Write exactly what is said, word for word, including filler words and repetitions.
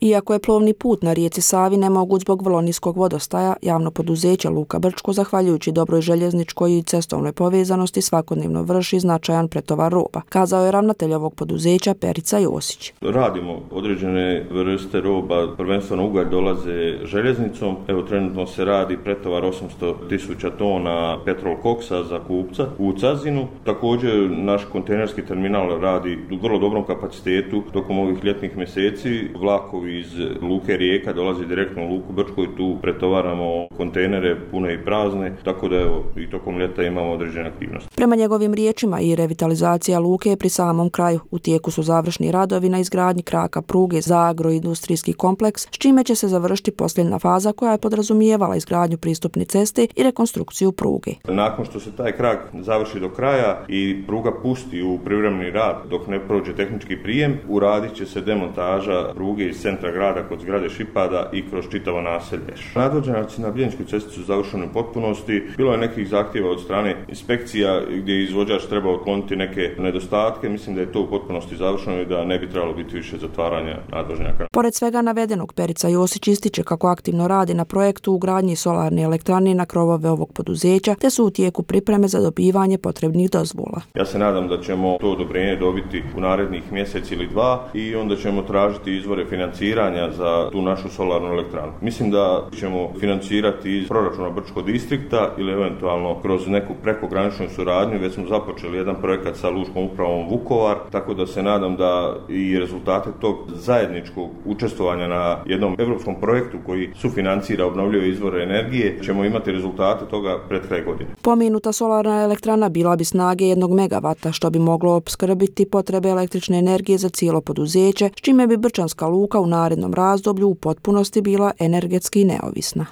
Iako je plovni put na rijeci Savi nemoguć zbog vrlo niskog vodostaja, javno poduzeće Luka Brčko, zahvaljujući dobroj željezničkoj i cestovnoj povezanosti, svakodnevno vrši značajan pretovar roba, kazao je ravnatelj ovog poduzeća Perica Josić. Radimo određene vrste roba, prvenstveno ugalj dolaze željeznicom. Evo trenutno se radi pretovar osamsto tisuća tona petrol koksa za kupca u Cazinu. Također naš kontejnerski terminal radi u vrlo dobrom kapacitetu tokom ovih ljetnih mjeseci. Vlakovi iz Luke Rijeka dolazi direktno u Luku Brčko i tu pretovaramo kontejnere pune i prazne, tako da evo i tokom ljeta imamo određene aktivnosti. Prema njegovim riječima i revitalizacija luke je pri samom kraju. U tijeku su završni radovi na izgradnji kraka pruge za agroindustrijski kompleks, s čime će se završiti posljednja faza koja je podrazumijevala izgradnju pristupne ceste i rekonstrukciju pruge. Nakon što se taj krak završi do kraja i pruga pusti u privremeni rad dok ne prođe tehnički prijem, uradit će se demontaža pruge iz centra grada kod zgrade Šipada i kroz čitavo naselje. Nadvožnjaci na Bijeljinskoj cesti su završeni u potpunosti. Bilo je nekih zahtjeva od strane inspekcija gdje je izvođač trebao otkloniti neke nedostatke. Mislim da je to u potpunosti završeno i da ne bi trebalo biti više zatvaranja nadvožnjaka. Pored svega navedenog, Perica Josić ističe kako aktivno radi na projektu ugradnji solarne elektrane na krovove ovog poduzeća, te su u tijeku pripreme za dobivanje potrebnih dozvola. Ja se nadam da ćemo to odobrenje dobiti u narednih mjesec ili dva i onda ćemo tražiti izvore financiranja za tu našu solarnu elektranu. Mislim da ćemo financirati iz proračuna Brčkog distrikta ili eventualno kroz neku prekograničnu suradnju. Već smo započeli jedan projekat sa Lučkom upravom Vukovar, tako da se nadam da i rezultate tog zajedničkog učestvovanja na jednom europskom projektu koji sufinancira obnovljive izvore energije ćemo imati rezultate toga pred kraj godine. Pomenuta solarna elektrana bila bi snage jednog megavata, što bi moglo opskrbiti potrebe električne energije za cijelo poduzeće, s čime bi Brčanska luka u narednom razdoblju u potpunosti bila energetski neovisna.